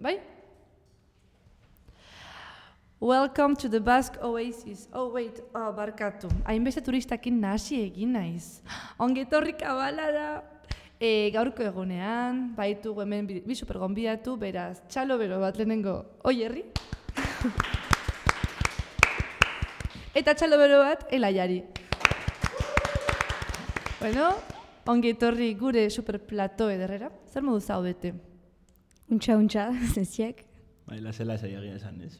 bai? Welcome to the Basque Oasis. Barkatu. Hainbeste turistakin nahasi egin naiz. Ongetorri kabalara. Gaurko egunean, baitugu hemen bi supergonbidatu, beraz, txalo bero bat lehenengo Oierri. Eta txalo bero bat Elaiari. Bueno, ongetorri gure superplato ederrera. Zer modu zaudete? Untxa, zeziak. Lasela egia esan ez.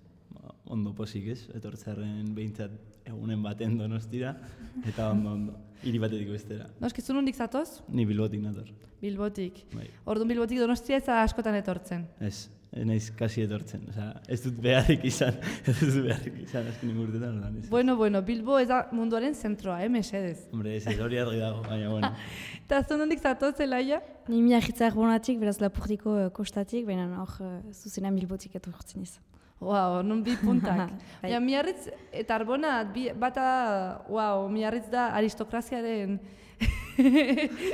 Ondo posik ez, etortzarren behintzat egunen baten Donostira, eta ondo, hiri batetik bestera. Noski, zu nondik zatoz? Ni Bilbotik nator. Bilbotik. Bai. Orduan Bilbotik Donostia ez da askotan etortzen. Ez naiz kasi etortzen. Ez dut beharrik izan, azken ingurtetan. Bueno, Bilbo ez da munduaren zentroa, mesedez. Hombre, ez hori argi dago, baina bueno. Eta zu nondik zatoz, Elaia? Ni miagitzak bonatik, beraz Lapurdiko kostatik, baina hor zuzenan Bilbotik etortzen izan. Wow, non bi puntak. Ja, Miarritz eta Arbona bata, Miarritz da aristokraziaren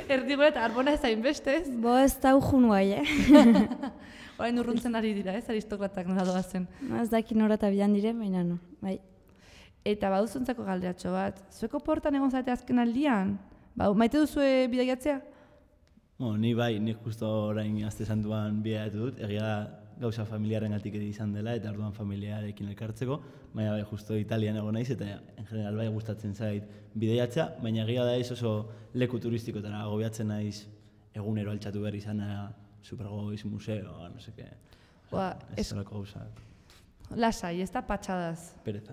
erdigura eta Arbona ez hainbeste, ez? Bo ez da urjun guai, Orain urruntzen ari dira, ez, aristokratak nola doazen. Ez daki nora eta bidan dire, baina no, bai. Eta baduzuntzako galderatxo bat, zueko portan egon zate azken aldian? Maite duzue bidaiatzea? Ni bai, nik justo orain azte santuan bidaiatu dut, egia gauza familiaren gatik izan dela eta orduan familiarekin elkartzeko, baina bai, justo Italian egon naiz eta en general bai gustatzen zait bidaiatzea, baina egia da ez oso leku turistikotara agobiatzen naiz egunero altxatu behar izana, supergoiz, museo, no seke, ez zolako gauza. Lasai, ez da patxadaz. Pereza.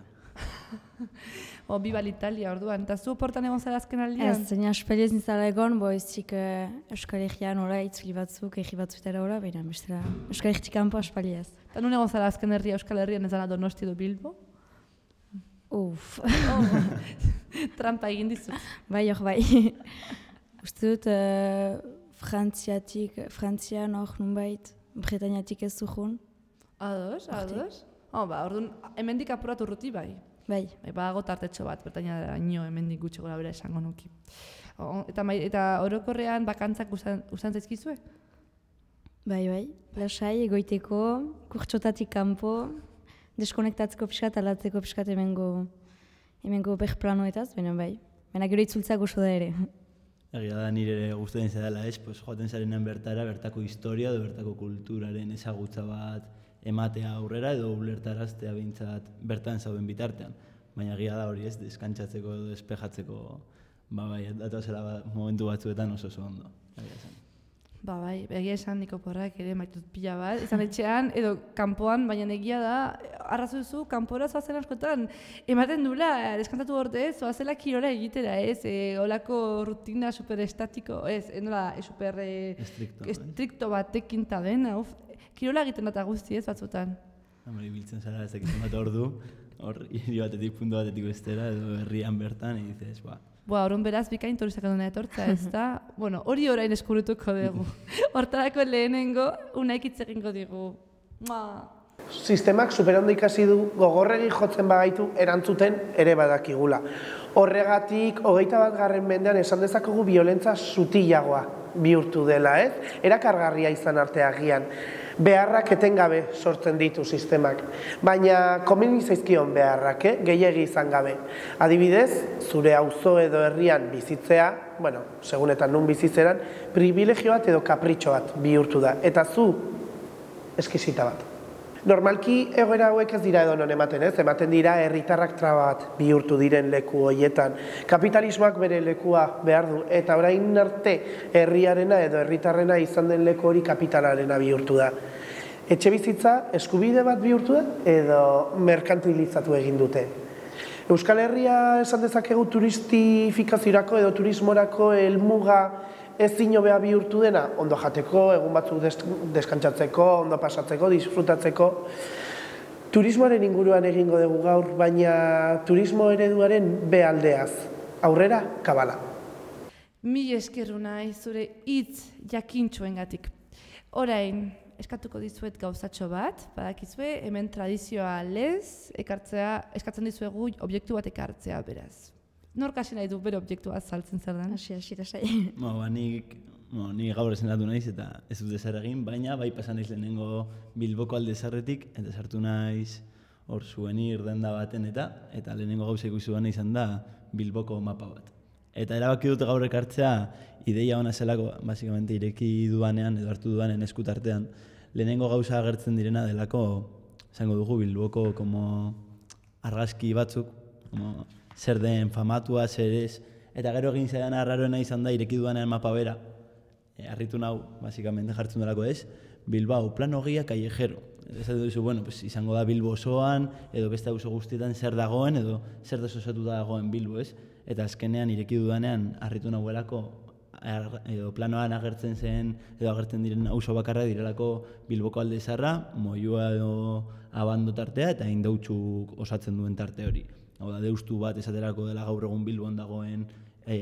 Biba l'Italia, orduan. Eta zu portan egon zara azken aldian? Ez, zeina esperiez nintzala egon, iztik Euskal Herrian ora, itzuli batzuk, egi batzutera ora, baina bestela Euskal Herritik kanpo espaliez. Eta nun egon zara azken herria Euskal Herrian ez dara Donosti edo Bilbo? Trampa egin dizu. Bai. Uste dut, Frantzian hor nunbait, Bretañatik ez zuhun. Ados? Orduan, hemendik apuratu urruti bai. Bai. Badago tartetxo bat, Bretaña ino hemendik gutxi gora bera esango nuki. Eta orokorrean bakantzak usan zaizkizue? Bai, lasai, egoiteko, kurtsotatik kanpo, deskonektatzeko pixkat, alatzeko pixkat hemengo berplanoetaz, baina bai. Baina gero itzultzak oso da ere. Egia da nire gustatzen zedela ez, joaten zarenean bertako historia edo bertako kulturaren ezagutza bat ematea aurrera edo ulertaraztea behintzat bertan zauden bitartean. Baina egia da hori ez, deskantzatzeko edo despejatzeko, datozela momentu batzuetan oso ondo. Bai, egia esan niko porrak ere maitut pila bat, izan etxean edo kanpoan, baina egia da, arrazu duzu, kanpora zoazen askotan, ematen dula, deskantzatu orte ez, zoazela kirola egitera ez, olako rutina superestatiko, nola, super estrikto batekin ta den, kirola egiten dut guzti ez batzutan. Biltzen zara ez dakizun bat ordu, hor hiri batetik puntu batetik bestera edo herrian bertan, egitez, Orduan beraz bikain turistak aduna etortza ez da, hori orain eskurutuko dugu. Hortarako lehenengo, unaik hitz egingo digu. Sistemak superondo ikasi du gogorregi jotzen bagaitu erantzuten ere badakigula. Horregatik, 21. mendean esan dezakogu biolentza sutilagoa bihurtu dela, ez? Erakargarria izan arte agian. Beharrak etengabe sortzen ditu sistemak, baina komeni zaizkion beharrak, gehiegi izan gabe. Adibidez, zure auzo edo herrian bizitzea, segunetan nun bizitzeran, privilegio bat edo kapritxo bat bihurtu da, eta zu eskisita bat. Normalki egoera hauek ez dira edonon ematen ez, ematen dira herritarrak traba bat bihurtu diren leku horietan. Kapitalismoak bere lekua behar du, eta orain arte herriarena edo herritarrena izan den leku hori kapitalarena bihurtu da. Etxebizitza eskubide bat bihurtu da edo merkantilizatu egin dute. Euskal Herria esan dezakegu turistifikaziorako edo turismorako helmuga ezin hobea bihurtu dena, ondo jateko, egun batzuk deskantzatzeko, ondo pasatzeko, disfrutatzeko. Turismoaren inguruan egingo dugu gaur, baina turismo ereduaren bealdeaz. Aurrera, kabala. Mila eskerru nahi zure hitz jakintxoengatik. Orain, eskatuko dizuet gauzatxo bat, badakizue, hemen tradizioa lez, eskatzen dizuegu objektu bat ekartzea beraz. Nork hasi nahi du bere objektua azaltzen zer den? Hasi, lasai. Nik Ni gaur esenatu naiz eta ez dut ezer egin, baina bai pasan naiz lehenengo Bilboko alde zarretik, eta sartu naiz hor souvenir denda baten eta lehenengo gauza ikusi duena izan da Bilboko mapa bat. Eta erabaki dut gaur ekartzea ideia ona zelako, basikamente ireki dudanean edo hartu dudanen eskutartean, lehenengo gauza agertzen direna delako, esango dugu Bilboko como argazki batzuk, como zer den famatua, zer ez, eta gero egin zaidan arraroena izan da ireki dudanean mapa bera, harritu nau, basikamente jartzen delako ez, Bilbao, plano guía callejero. Ez duzu, bueno, pues, izango da Bilbo osoan, edo beste auzo guztietan zer dagoen, edo zer desosatuta dagoen Bilbo, ez? Eta azkenean ireki dudanean harritu nagoelako, edo planoan agertzen zen, edo agertzen diren auzo bakarra direlako Bilboko alde zarra, Moyua edo Abando tartea, eta Indautzuk osatzen duen tarte hori. Hau da, Deustu bat esaterako dela gaur egun Bilbon dagoen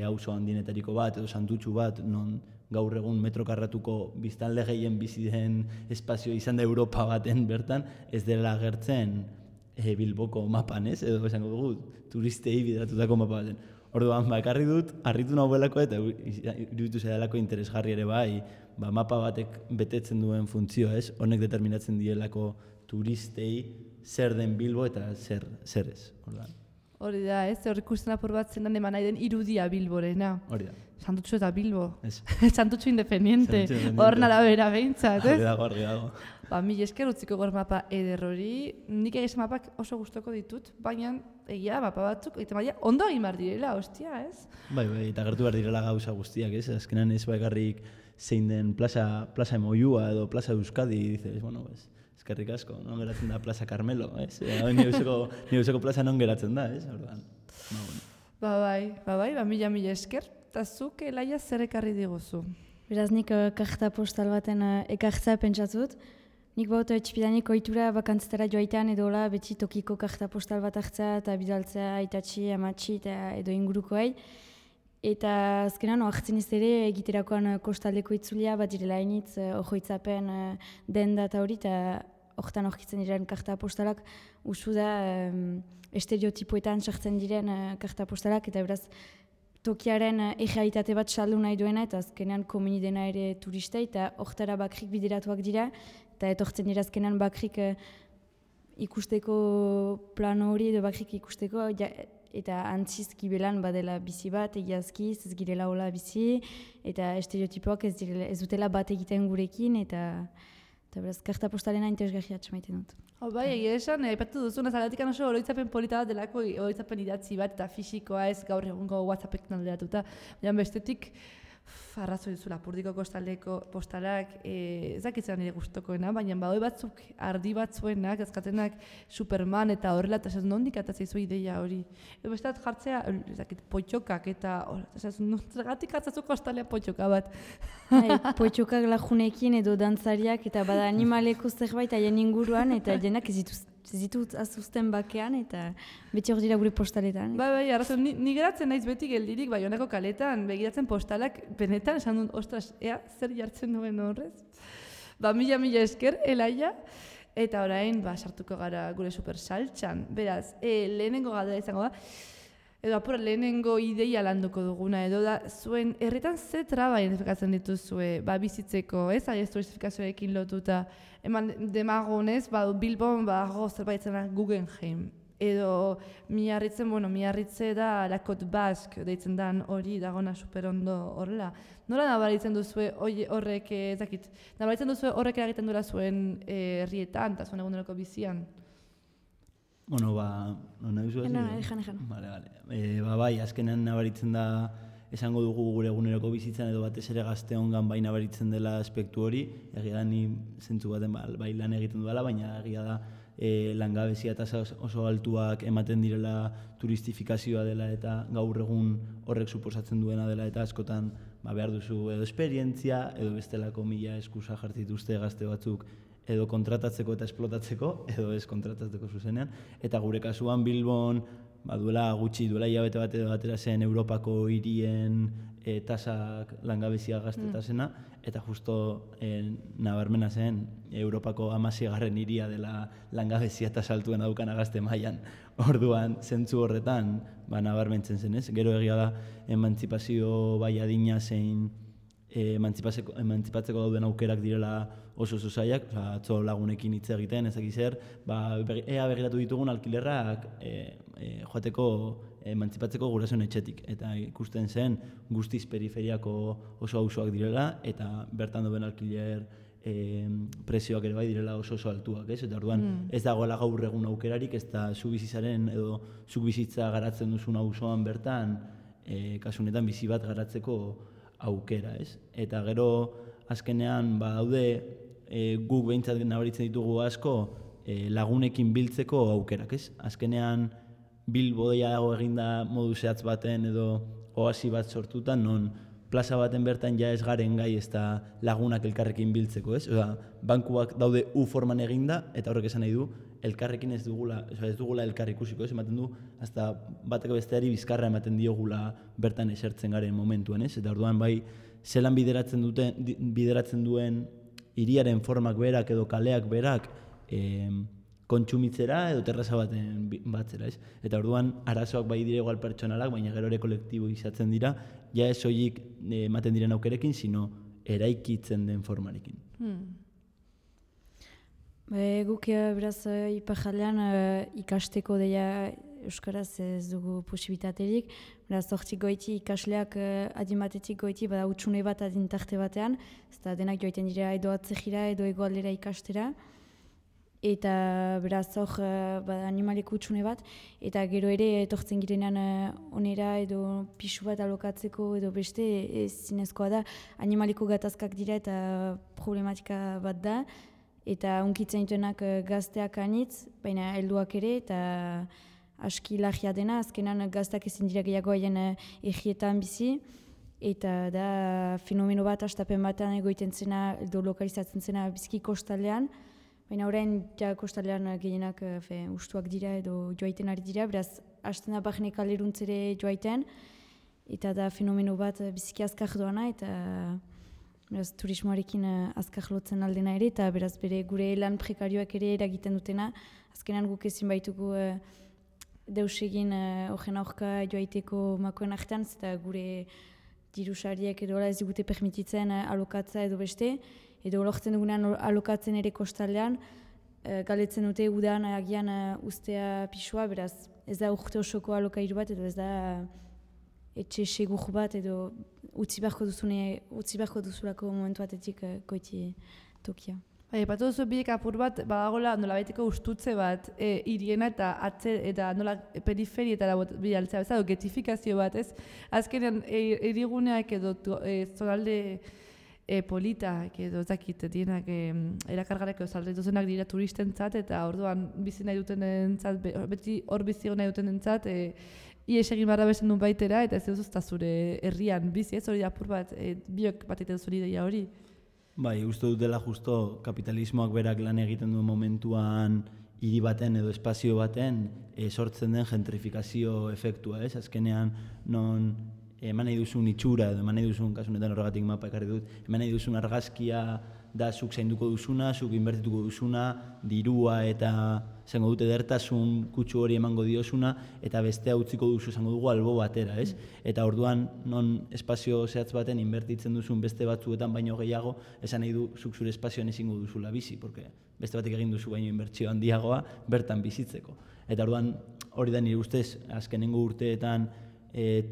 auzo handienetariko bat, edo Santutxu bat, non gaur egun metro karratuko biztanle gehien bizi den espazio izan da Europa baten bertan, ez dela agertzen Bilboko mapan, ez? Edo esango dugu, turistei bideratutako mapa baten. Orduan, ekarri dut, harritu nagoelako eta iruditu zaidalako interesgarri ere bai, mapa batek betetzen duen funtzioa, ez? Honek determinatzen dielako turistei zer den Bilbo eta zer ez. Hori da, ez? Hor ikusten apur bat zendan eman nahi den irudia Bilborena. Hori da. Santutxu eta Bilbo. Ez. Santutxu independiente. Hor arabera behintzat, ez? Argi dago. Mila esker utziko gor mapa eder hori. Nik egizan mapak oso gustoko ditut, baina egia mapa batzuk, ondo egin behar direla, ostia, ez? Bai, eta gertu behar direla gauza guztiak, ez? Azkenan ez bakarrik zein den plaza Moyua edo plaza Euskadi, dices, bueno, eskerrik asko, non geratzen da plaza Carmelo, ez? Nire plaza non geratzen da, ez? Bai, mila esker. Eta zuk, Elaia, zer ekarri diguzu? Beraz, nik karta postal baten ekartzea pentsatzut. Nik bauta etxipidanik ohitura bakantzetara joaitean edola beti tokiko karta postal bat hartzea eta bidaltzea aitatxi, amatxi eta edo ingurukoei. Eta azkenan, oartzen ez ere egiterakoan kostaldeko itzulia bat direla hainitz, ojoitzapen denda eta hori, eta horretan horkitzen diren karta postalak usu da estereotipoetan sartzen diren karta postalak, eta beraz tokiaren errealitate bat saldu nahi duena, eta azkenean komeni dena ere turistei, eta horretara bakrik bideratuak dira, eta etortzen dira azkenean bakrik ikusteko plano hori edo bakrik ikusteko, eta antziz gibelan badela bizi bat, egiazki, ez girela hola bizi, eta estereotipoak ez dutela bat egiten gurekin, eta beraz, karta postalena interesgarria atxamaiten dut. Bai, egia esan, aipatu duzu, nazalatikan oso oroitzapen polita bat delako, oroitzapen idatzi bat eta fisikoa ez gaur egungo WhatsAppek alderatuta. Baina bestetik, arrazoi duzu Lapurdiko kostaldeko postalak, ez dakitzen nire gustokoena, baina badoi batzuk, ardi batzuenak, azkatenak Superman eta horrela, eta ez nondik atatzea izu ideia hori. Edo besteat jartzea, potxokak eta zergatik atzazu kostalea potxoka bat. Potxokak lajunekin edo dantzariak eta bada animaleko zerbait haien inguruan eta jenak ez ditut azuzten bakean eta beti hor dira gure postaletan. Bai, arrazoi, ni geratzen naiz beti geldirik, bai honako kaletan, begiratzen postalak, benetan esan dut, ostras, zer jartzen duen horrez? Mila esker, Elaia, eta orain, sartuko gara gure supersaltxan. Beraz, lehenengo galdera izango da, edo apura lehenengo ideia landuko duguna, edo da, zuen herritan ze traba identifikatzen dituzue, bizitzeko, ez? Ez turistifikazioekin lotuta. Eman demagonez, Bilbon, zerbait zena Guggenheim. Edo Miarritze da Lakot Bask, deitzen dan hori, dagona superondo horrela. Nola nabaritzen duzue horrek, ezakit, nabaritzen duzue horrek eragiten duela zuen herrietan, eta zuen eguneroko bizian? Bueno, nahi duzu ez? Ejan. Bai, azkenean nabaritzen da, esango dugu gure eguneroko bizitzan edo batez ere gazteongan bai nabaritzen dela aspektu hori, egia da ni zentzu baten bai lan egiten duela, baina egia da langabezia tasa oso altuak ematen direla turistifikazioa dela eta gaur egun horrek suposatzen duena dela eta askotan behar duzu edo esperientzia edo bestelako mila eskusa jartzituzte gazte batzuk edo kontratatzeko eta esplotatzeko edo ez kontratatzeko zuzenean. Eta gure kasuan Bilbon duela hilabete bat edo batera zen Europako hirien tasak langabezia gaztetasena, eta justo nabarmena zen Europako 16. hiria dela langabezia tasa altuena daukana gazte mailan. Orduan, zentzu horretan nabarmentzen zen ez. Gero egia da, emantzipazio bai adina zein emantzipatzeko dauden aukerak direla oso zailak, atzo lagunekin hitz egiten, ezak zer, ea begiratu ditugun alkilerrak joateko emantzipatzeko gurasoen etxetik. Eta ikusten zen guztiz periferiako oso auzoak direla, eta bertan duen alkiler prezioak ere bai direla oso altuak, ez? Eta orduan ez dagoela gaur egun aukerarik, ez da zu bizitzaren edo zuk bizitza garatzen duzun auzoan bertan, kasu honetan bizi bat garatzeko aukera, ez? Eta gero azkenean badaude guk behintzat nabaritzen ditugu asko lagunekin biltzeko aukerak, ez? Azkenean Bilbodeiago eginda modu zehatz baten edo oasi bat sortutan, non plaza baten bertan ja ez garen gai ez da lagunak elkarrekin biltzeko, ez? Oda, bankuak daude U-forman eginda, eta horrek esan nahi du, elkarrekin ez dugula elkar ikusiko, ez? Ematen du, hasta bateko besteari bizkarra ematen diogula bertan esertzen garen momentuan, ez? Eta orduan bai, zelan bideratzen duen hiriaren formak berak edo kaleak berak kontsumitzera edo terraza baten batzera, ez? Eta orduan arazoak bai dire igual pertsonalak, baina gero ere kolektibo izatzen dira, ja ez soilik ematen diren aukerekin, sino eraikitzen den formarekin. Guk beraz Iparraldean ikasteko deia euskaraz ez dugu posibitaterik, beraz hortik goiti ikasleak adin batetik goiti bada utxune bat adin tarte batean, ez da denak joiten dira edo atzejira edo egoaldera ikastera, eta beraz hor animaleko utxune bat, eta gero ere etortzen girenean onera edo pisu bat alokatzeko edo beste zinezkoa da, animaleko gatazkak dira eta problematika bat da, eta unkitzen dituenak gazteak anitz, baina helduak ere, eta aski lagia dena, azkenan gazteak ezin dira gehiago haien egietan bizi, eta da fenomeno bat astapen batean egoiten zena, edo lokalizatzen zena bizki kostaldean, baina orain ja kostaldean gehienak ustuak dira edo joaiten ari dira, beraz hasten da bagene kaleruntzere joaiten, eta da fenomeno bat biziki azkar doana, eta beraz turismoarekin azkar lotzen aldena ere, eta beraz bere gure lan prekarioak ere eragiten dutena, azkenan guk ezin baitugu deus egin horren aurka joaiteko makoen artean, eta gure dirusariek edo ez digute permititzen alokatza edo beste, edo lortzen dugunean alokatzen ere kostaldean, galetzen dute udan agian ustea pisua, beraz ez da urte osoko alokairu bat, edo ez da etxe segur bat, edo utzi beharko duzulako momentu batetik goiti tokia. Epatu duzu biek apur bat, badagoela nolabaiteko ustutze bat hiriena eta nola periferietara bidaltzea, edo getifikazio bat, ez? Azkenean hiriguneak edo zonalde politak edo ezakit dienak erakargareko zalde duzenak dira turistentzat, eta orduan bizi nahi dutenentzat, beti hor bizi nahi dutenentzat ies egin barra besten duen baitera, eta ez duzuzta zure herrian bizi, ez hori apur bat, biok bat egiten zuri deia hori. Bai, uste dut dela justo kapitalismoak berak lan egiten duen momentuan hiri baten edo espazio baten sortzen den gentrifikazio efektua, ez? Azkenean non eman nahi duzun itxura, edo eman nahi duzun, kasunetan horregatik mapa ekarri dut, eman nahi duzun argazkia da zuk zainduko duzuna, zuk inbertituko duzuna, dirua eta zango dute edertasun kutsu hori emango diosuna, eta bestea utziko duzu zango dugu albo batera, ez? Eta orduan, non espazio zehatz baten inbertitzen duzun beste batzuetan baino gehiago, esan nahi du zuk zure espazioan ezingo duzula bizi, porque beste batek egin duzu baino inbertsio handiagoa bertan bizitzeko. Eta orduan, hori da nire ustez, azkenengo urteetan,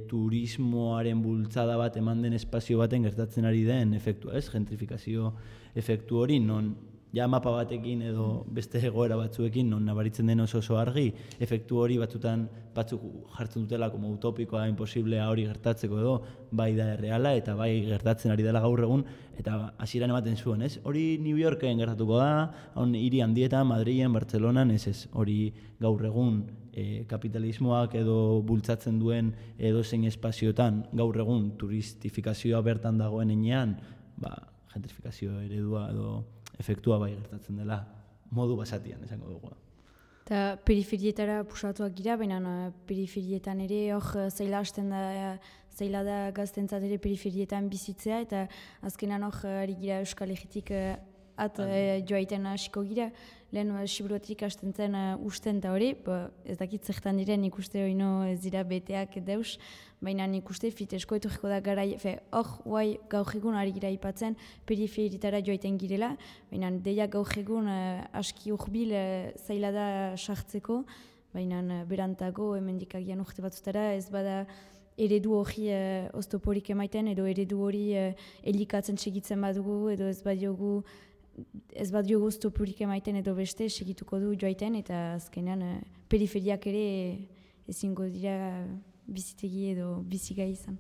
turismoaren bultzada bat eman den espazio baten gertatzen ari den efektua, ez? Gentrifikazio efektu hori, non ja mapa batekin edo beste egoera batzuekin non nabaritzen den oso argi, efektu hori batzutan batzuk jartzen dutela como utopikoa, imposiblea hori gertatzeko edo, bai da erreala eta bai gertatzen ari dela gaur egun, eta hasieran ematen zuen, ez? Hori New Yorken gertatuko da, hiri handietan, Madrilen, Bartzelonan, ez, hori gaur egun kapitalismoak edo bultzatzen duen edozein espazioetan gaur egun turistifikazioa bertan dagoen enean, gentrifikazio eredua edo efektua bai gertatzen dela modu basatian, esango dugu. Eta periferietara pusatuak gira, baina periferietan ere hor zaila hasten da, zaila da gaztentzat ere periferietan bizitzea, eta azkenan hor ari gira Euskal Herritik joaiten hasiko gira, lehen Siberuatik hasten zen usten eta hori, ez dakit zertan diren ikuste hori ez dira beteak deus, baina nik uste fitesko etorriko da gara, hor guai gaur egun ari gira ipatzen periferitara joaiten girela, baina deia gaur egun aski urbil zaila da sartzeko, baina berantago hemendik agian urte batzutara ez bada eredu hori oztoporik emaiten edo eredu hori elikatzen segitzen badugu edo ez badiogu oztoporik emaiten edo beste segituko du joaiten eta azkenean periferiak ere ezingo dira bizitegi edo bizigai izan.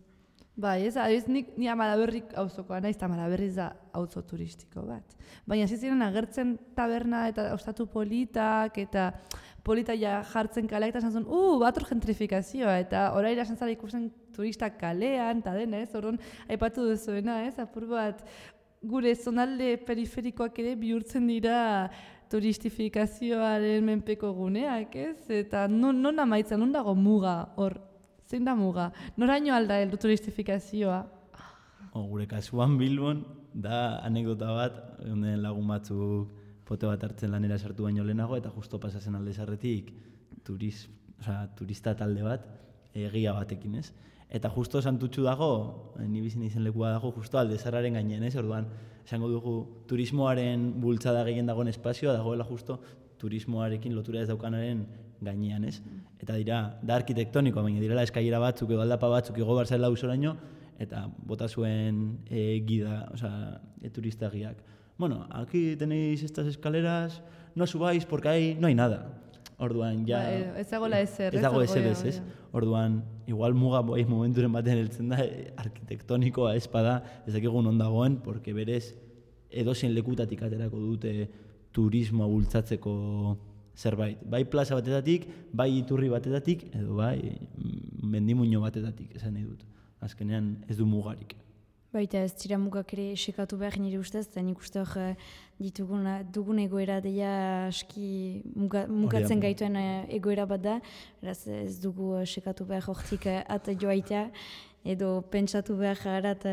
Bai, ni Amalaberrik auzokoa naiz, eta Amalaberriz da auzo turistiko bat. Baina ziren agertzen taberna eta ostatu politak, eta polita ja jartzen kaleak, eta esan zuen, bator gentrifikazioa, eta orain esan zara ikusten turistak kalean, eta dena, orduan aipatu duzuena, apur bat, gure zonalde periferikoak ere bihurtzen dira turistifikazioaren menpeko guneak, Eta non amaitzen, non dago muga hor? Zein da muga? Noraino alda heldu turistifikazioa? Gure kasuan Bilbon, da anekdota bat, honen lagun batzuk pote bat hartzen lanera sartu baino lehenago, eta justo pasazen alde zarretik turista talde bat, egia batekin, Eta justo santutxu dago, ni bizin izen lekua dago, justo alde zarraren gainean, Orduan, esango dugu turismoaren bultzada gehien dagoen espazioa, dagoela justo turismoarekin lotura ez daukanaren gainean, Eta da arkitektonikoa, baina direla eskailera batzuk edo aldapa batzuk igo barzela usoraino, eta bota zuen guida, turista guiak. Bueno, aquí tenéis estas escaleras, no subáis porque ahí no hay nada. Orduan, ja... Ez dagoela ezer, ez dago ezer, Orduan, igual muga momenturen baten heltzen da, arkitektonikoa ez bada, ez dakigun ondagoen, porque berez edozein lekutatik aterako dute turismoa bultzatzeko zerbait. Bai plaza batetatik, bai iturri batetatik, edo bai mendimuño batetatik, esan nahi dut. Azkenean ez du mugarik. Baita ez dira mugak ere esekatu behar nire ustez, eta nik uste hor dugun egoera deia aski mugatzen gaituen egoera bat da, beraz ez dugu esekatu behar hortik at joaitea, edo pentsatu behar harat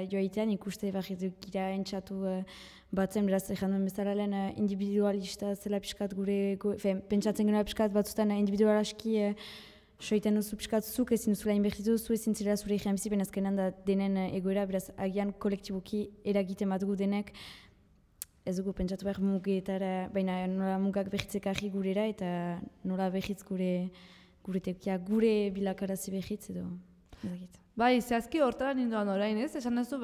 joaitea, nik uste behar gira entzatu batzen, beraz egin duen bezala lehen individualista zela pixkat gure, pentsatzen genuen pixkat batzutan individual aski soiten duzu pixkat zuk ezin duzula inbertitu, zu ezin zirela zure egin bizi, baina azkenan da denen egoera, beraz agian kolektiboki eragiten bat gu denek, ez dugu pentsatu behar mugetara, baina nola mugak behitzek ahi gurera eta nola behitz gure tekia, gure bilakarazi behitz edo ezagit. Bai, zehazki hortara ninduan orain, esan duzu,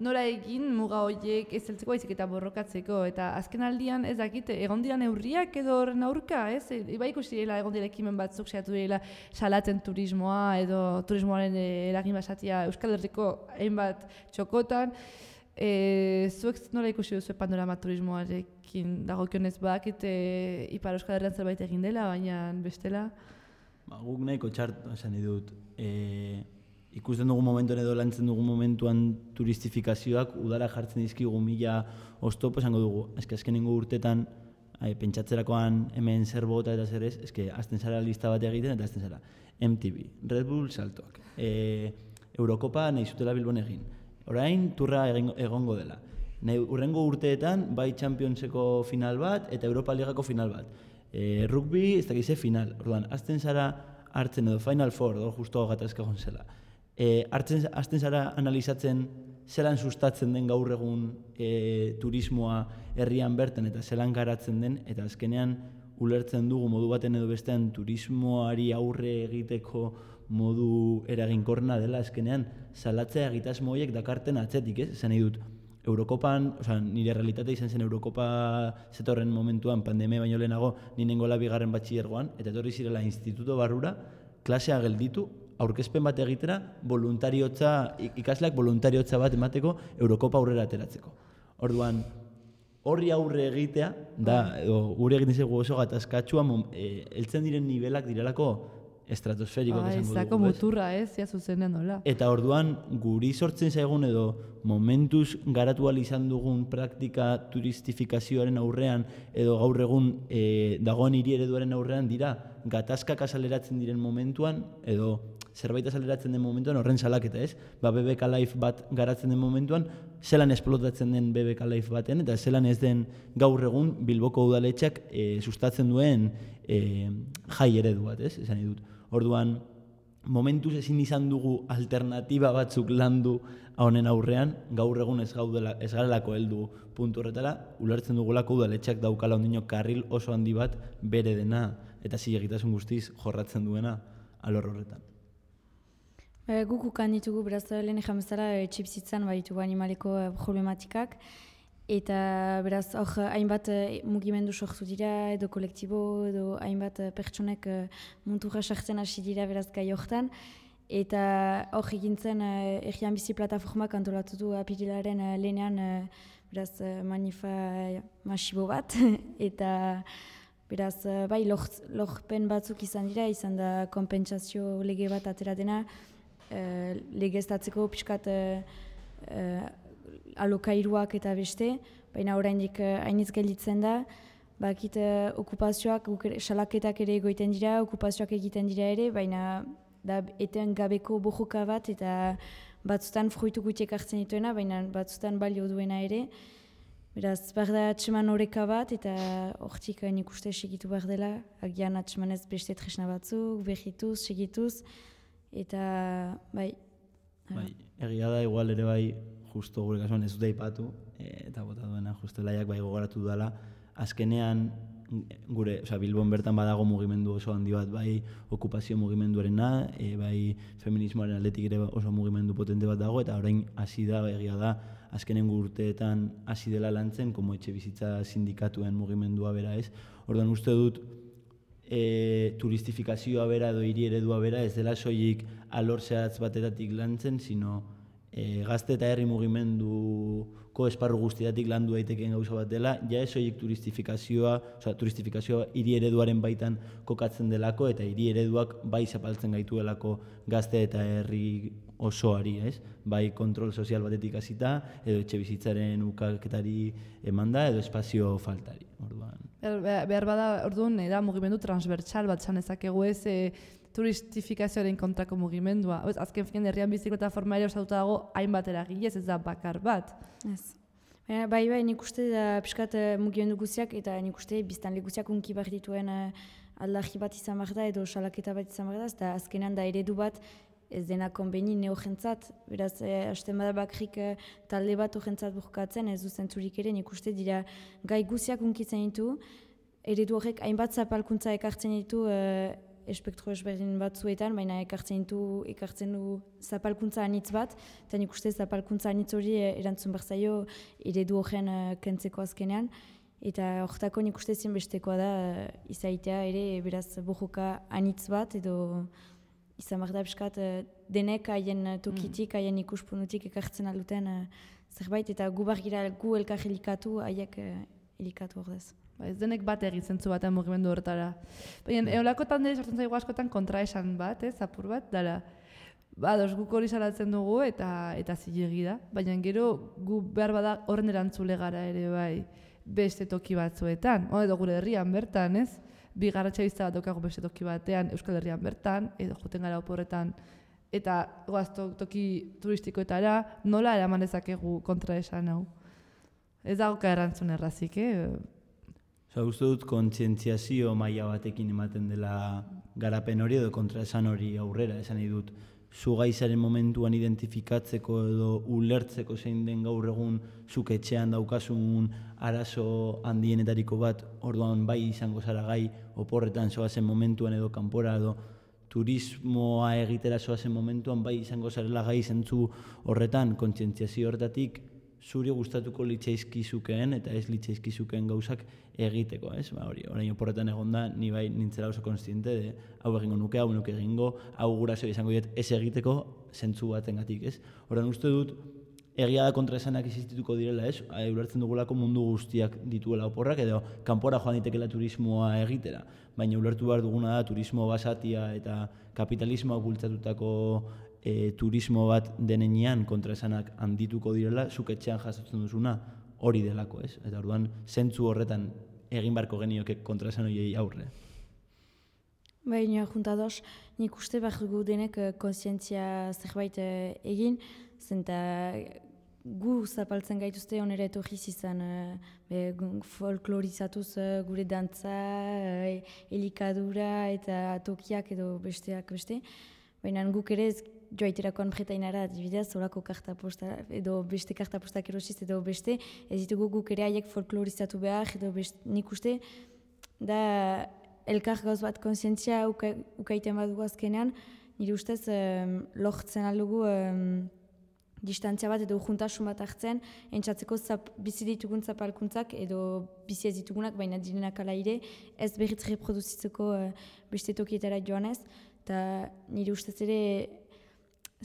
nora egin muga horiek ez zeltzeko baizik eta borrokatzeko, eta azken aldian ez dakit, egon dira neurriak edo horren aurka, Bai ikusi direla egon dira ekimen batzuk saiatu direla salatzen turismoa edo turismoaren eragin basatia Euskal Herriko hainbat txokotan, zuek nola ikusi duzu panorama turismoarekin dagokionez badakit Ipar Euskal Herrian zerbait egin dela, baina bestela? Guk nahiko txartu esan dut, ikusten dugun momentuan edo lantzen dugun momentuan turistifikazioak udara jartzen dizkigu mila oztopo esango dugu. Azkenengo urtetan pentsatzerakoan hemen zer bota eta zer ez, azten zara lista bat egiten eta azten zara MTV, Red Bull saltoak, Eurokopa nahi zutela Bilbon egin. Orain turra egongo dela. Urrengo urteetan bai Championseko final bat eta Europa Ligako final bat. Rugby ez dakize final. Orduan, azten zara hartzen edo Final Four, justo gatazka egon zela. Azten zara analizatzen zelan sustatzen den gaur egun turismoa herrian bertan eta zelan garatzen den, eta azkenean ulertzen dugu modu baten edo bestean turismoari aurre egiteko modu eraginkorrena dela azkenean salatzea egitasmo horiek dakarten atzetik, esan nahi dut. Eurokopan, nire realitatea izan zen Eurokopa zetorren momentuan pandemia baino lehenago ninengola bigarren batxilergoan, eta etorri zirela instituto barrura, klasea gelditu, aurkezpen bat egitera, ikasleak voluntariotza bat emateko Eurokopa aurrera ateratzeko. Orduan, horri aurre egitea, gure egiten zego oso gatazkatsua, heltzen diren nivelak direlako estratosferiko esango dugu. Zako muturra zia zuzenen nola. Eta orduan, guri sortzen zaigun edo momentuz garatu ahal izan dugun praktika turistifikazioaren aurrean edo gaur egun dagoen hiri ereduaren aurrean dira gatazkak azaleratzen diren momentuan edo zerbait azaleratzen den momentuan horren salaketa, ez? BBK Live bat garatzen den momentuan, zelan esplotatzen den BBK Live baten, eta zelan ez den gaur egun Bilboko udaletxeak sustatzen duen jai eredu bat, ez? Esan dut. Orduan, momentuz ezin izan dugu alternatiba batzuk landu honen aurrean, gaur egun ez garelako heldu puntu horretara, ulertzen dugulako udaletxeak daukala ondino karril oso handi bat bere dena eta zilegitasun guztiz jorratzen duena alor horretan. Guk ukan ditugu, beraz, lehen ejan bezala, etxebizitzan baditugu animaleko problematikak, eta beraz, hor hainbat mugimendu sortu dira, edo kolektibo, edo hainbat pertsonek munturra sartzen hasi dira beraz gai hortan, eta hor egintzen Herrian Bizi Plataformak antolatu du apirilaren lehenean beraz manifa masibo bat, eta beraz, bai, lorpen batzuk izan dira, izan da konpentsazio lege bat atera dena, legeztatzeko pixkat alokairuak eta beste, baina oraindik hainitz gelditzen da, bakit okupazioak, salaketak ere egoiten dira, okupazioak egiten dira ere, baina da eten gabeko bojoka bat eta batzutan fruitu gutiek hartzen dituena, baina batzutan balio duena ere. Beraz, behar da atseman horreka bat eta hortik nik uste segitu behar dela, agian atsemanez beste tresna batzuk, behituz, segituz, eta bai. Egia da, igual ere bai, justo gure kasuan ez dute aipatu, eta bota duena, justo laiak bai gogoratu dela, azkenean gure, Bilbon bertan badago mugimendu oso handi bat, bai okupazio mugimenduarena, bai feminismoaren aldetik ere oso mugimendu potente bat dago, eta orain hasi da, egia da, azkenen urteetan hasi dela lantzen, como etxe bizitza sindikatuen mugimendua bera ez. Orduan uste dut, turistifikazioa bera edo hiri eredua bera ez dela soilik alor zehatz batetatik lantzen, sino gazte eta herri mugimenduko esparru guztietatik landu daitekeen gauza bat dela, ja ez soilik turistifikazioa hiri ereduaren baitan kokatzen delako eta hiri ereduak bai zapaltzen gaituelako gazte eta herri osoari, ez? Bai kontrol sozial batetik hasita, edo etxe bizitzaren ukaketari emanda, edo espazio faltari. Orduan. Behar bada, orduan, da mugimendu transbertsal bat zan ezakegu ez turistifikazioaren kontrako mugimendua. Azken finean Herrian Bizi Plataforma ere osatuta dago hainbat eragilez, ez da bakar bat. Ez. Bai, nik uste da pixkat mugimendu guztiak eta nik uste biztanle guztiak unki behar dituen aldarri bat izan behar da edo salaketa bat izan behar da, eta azkenean da eredu bat ez dena konbeni neojentzat, beraz, hasten bada bakrik talde bat ojentzat burkatzen, ez du zentzurik ere, nik uste dira gai guztiak unkitzen ditu, eredu horrek hainbat zapalkuntza ekartzen ditu espektro ezberdin batzuetan, baina ekartzen du zapalkuntza anitz bat, eta nik uste zapalkuntza anitz hori erantzun behar zaio eredu horren kentzeko azkenean, eta horretako nik uste zinbestekoa da izaitea ere, beraz, bojoka anitz bat, edo izan behar da piskat denek haien tokitik, haien ikuspunutik ekartzen alduten zerbait, eta gu bargira gu elkar helikatu, haiek helikatu ordez. Ez denek bat egizentzu batean mugimendu horretara. Baina, eolako tande sortzen zaigu askotan kontraesan bat, apur bat, dara. Dos guk hori salatzen dugu eta zilegi da. Baina gero gu behar bada horren erantzule gara ere bai beste toki batzuetan. Edo gure herrian bertan, ez? Bigarratxa bizta bat daukagu beste toki batean Euskal Herrian bertan, edo joten gara oporretan, eta goaz toki turistikoetara nola eraman dezakegu kontraesan hau. Ez dagoka erantzun errazik, Uste dut kontzientziazio maila batekin ematen dela garapen hori edo kontraesan hori aurrera, esan nahi dut. Zu gaizaren momentuan identifikatzeko edo ulertzeko zein den gaur egun zuk etxean daukasun arazo handienetariko bat, orduan bai izango zara gai oporretan zoazen momentuan edo kanpora edo turismoa egitera zoazen momentuan bai izango zarela gai zentzu horretan, kontzientziazio horretatik zuri gustatuko litzaizkizukeen eta ez litzaizkizukeen gauzak egiteko, ez? Orain oporretan egon da, ni bai nintzela oso konstiente de hau egingo nuke, hau nuke egingo, hau guraso izango diet ez egiteko zentzu batengatik, ez? Orain uste dut, egia da kontraesanak existituko direla, ez? Ulertzen dugulako mundu guztiak dituela oporrak edo kanpora joan ditekela turismoa egitera, baina ulertu behar duguna da turismo basatia eta kapitalismoa bultzatutako turismo bat denean kontraesanak handituko direla, zuk etxean jasotzen duzuna hori delako, ez? Eta orduan, zentzu horretan egin barko genioke kontraesan horiei aurre. Baina, juntados, nik uste behar dugu denek kontzientzia zerbait egin, zenta gu zapaltzen gaituzte onera etorriz izan folklorizatuz gure dantza, elikadura eta tokiak edo besteak beste. Baina guk ere ez joaiterakoan jetainara adibidez, horako kartaposta edo beste kartapostak erosiz edo beste, ez ditugu guk ere haiek folklorizatu behar edo nik uste da elkar gauz bat kontzientzia ukaiten badugu azkenean, nire ustez lortzen aldugu distantzia bat edo juntasun bat hartzen, entzatzeko bizi ditugun zapalkuntzak edo bizi ez ditugunak, baina direnak ala ere, ez berriz reproduzitzeko beste tokietara joanez, eta nire ustez ere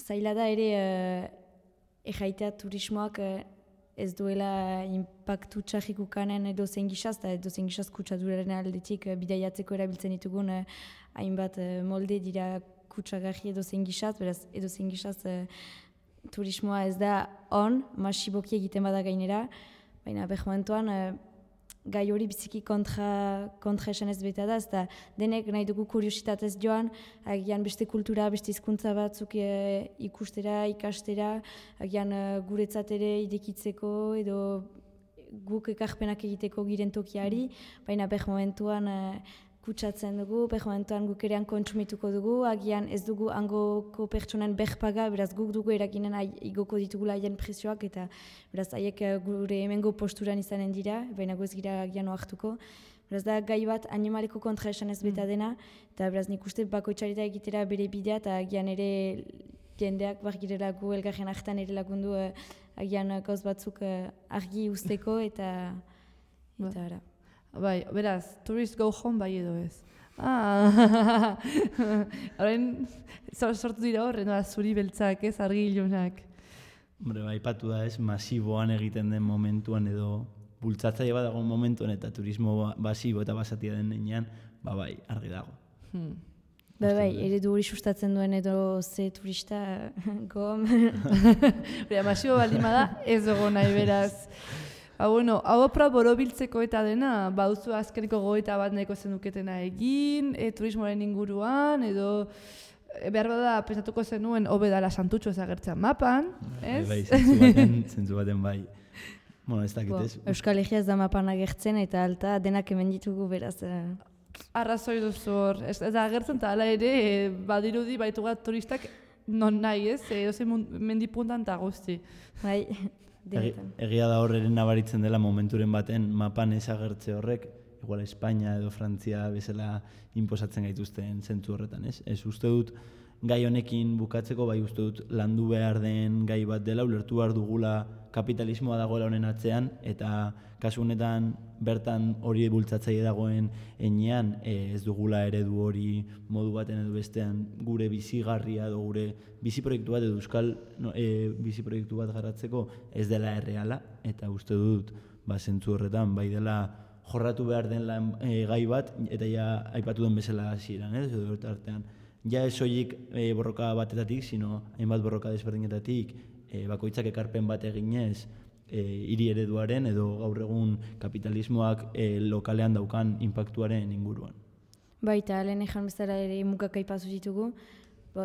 zaila da ere erraitea turismoak ez duela impaktu txarrik ukanen edo zein gizaz, eta edo zein gizaz kutsaduraren aldetik bidaiatzeko erabiltzen ditugun hainbat molde dira kutsagarri edo zein gizaz, beraz edo zein gizaz turismoa ez da masiboki egiten bada gainera, baina momentuan gai hori biziki kontra esan ez beta da, eta denek nahi dugu kuriositatez joan, agian beste kultura, beste hizkuntza batzuk ikustera, ikastera, agian guretzat ere idekitzeko edo guk ekarpenak egiteko giren tokiari, baina momentuan kutsatzen dugu, momentuan guk erean kontsumituko dugu, agian ez dugu hangoko pertsonen berpaga, beraz guk dugu eraginen igoko ditugula haien prezioak, eta beraz haiek gure hemengo posturan izanen dira, baina goz gira agian oartuko. Beraz da gai bat animaleko kontra esan ez beta dena, eta beraz nik uste bakoitzarita egitera bere bidea, eta agian ere jendeak bargirela gu elgarren hartan ere lagundu agian gauz batzuk argi usteko, eta ara. Bai, beraz, tourist go home bai edo ez. Horren, sortu dira horren, zuri beltzak ez, argi ilunak. Hombre, bai, patu da ez, masiboan egiten den momentuan edo bultzatzaile bat dagoen momentuan eta turismo basibo eta basatia den nenean, bai, argi dago. Bai, eredu hori sustatzen duen edo ze turista gom. Masibo baldin bada ez dugu nahi beraz. Bueno, hau opra borobiltzeko eta dena, bauzu azkeneko gogoeta bat nahiko zenuketena egin, turismoaren inguruan, edo behar bada pensatuko zenuen hobe dala Santutxo ez agertzen mapan, ez? Bai, zentzu baten bai. Bueno, ez dakit ez. Euskal Herria ez da mapan agertzen eta alta denak hemen ditugu beraz. Arrazoi duzu hor, ez da agertzen eta hala ere badirudi baitu bat turistak non nahi ez, edozein mendipuntan eta guzti. Bai. Egia da horren nabaritzen dela momenturen baten mapan ez agertze horrek, igual Espainia edo Frantzia bezala inposatzen gaituzten zentzu horretan, ez? Ez uste dut gai honekin bukatzeko, bai uste dut landu behar den gai bat dela, ulertu behar dugula kapitalismoa dagoela honen atzean, eta kasu honetan bertan hori bultzatzaile dagoen enean ez dugula eredu hori modu baten edo bestean gure bizigarria edo gure bizi proiektu bat edo euskal bizi proiektu bat garatzeko ez dela erreala, eta uste dut zentzu horretan bai dela jorratu behar den gai bat, eta ja aipatu den bezala hasieran, ez edo artean. Ja ez soilik borroka batetatik, sino hainbat borroka desberdinetatik, bakoitzak ekarpen bat eginez hiri ereduaren edo gaur egun kapitalismoak lokalean daukan inpaktuaren inguruan. Baita, lehen ejan bezala ere mugak aipazu ditugu,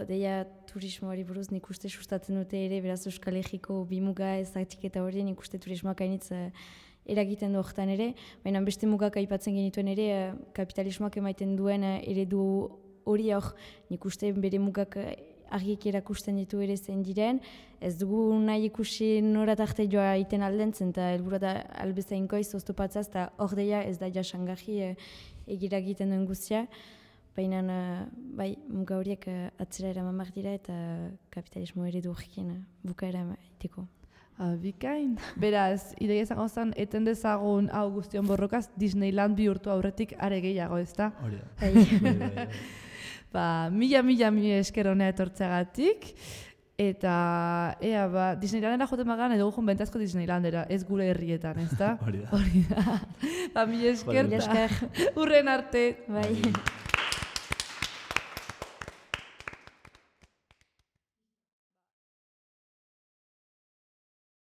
deia turismoari buruz nik uste sustatzen dute ere, beraz Euskal Herriko bi muga ezatiketa hori nik uste turismoak hainitz eragiten du horretan ere, baina beste mugak aipatzen genituen ere kapitalismoak emaiten duen eredu hori hor nik uste bere mugak argiek erakusten ditu ere zein diren, ez dugu nahi ikusi norat arte joa iten aldentzen, eta helburua da albezain goiz oztopatzaz, eta hor deia ez da jasangarri egira egiten duen guztia, baina bai, muga horiek atzera eraman behar dira eta kapitalismo eredu horrekin bukaera iteko. Bikain. Beraz, ideia izango zen, eten dezagun hau guztion borrokaz, Disneyland bihurtu aurretik are gehiago, ez da? Hori da. Mila esker honea etortzeagatik, eta Disneylandera joten magan edo gujun bentazko Disneylandera, ez gure herrietan, ez da? Hori da. Mila esker, urren arte. Bai.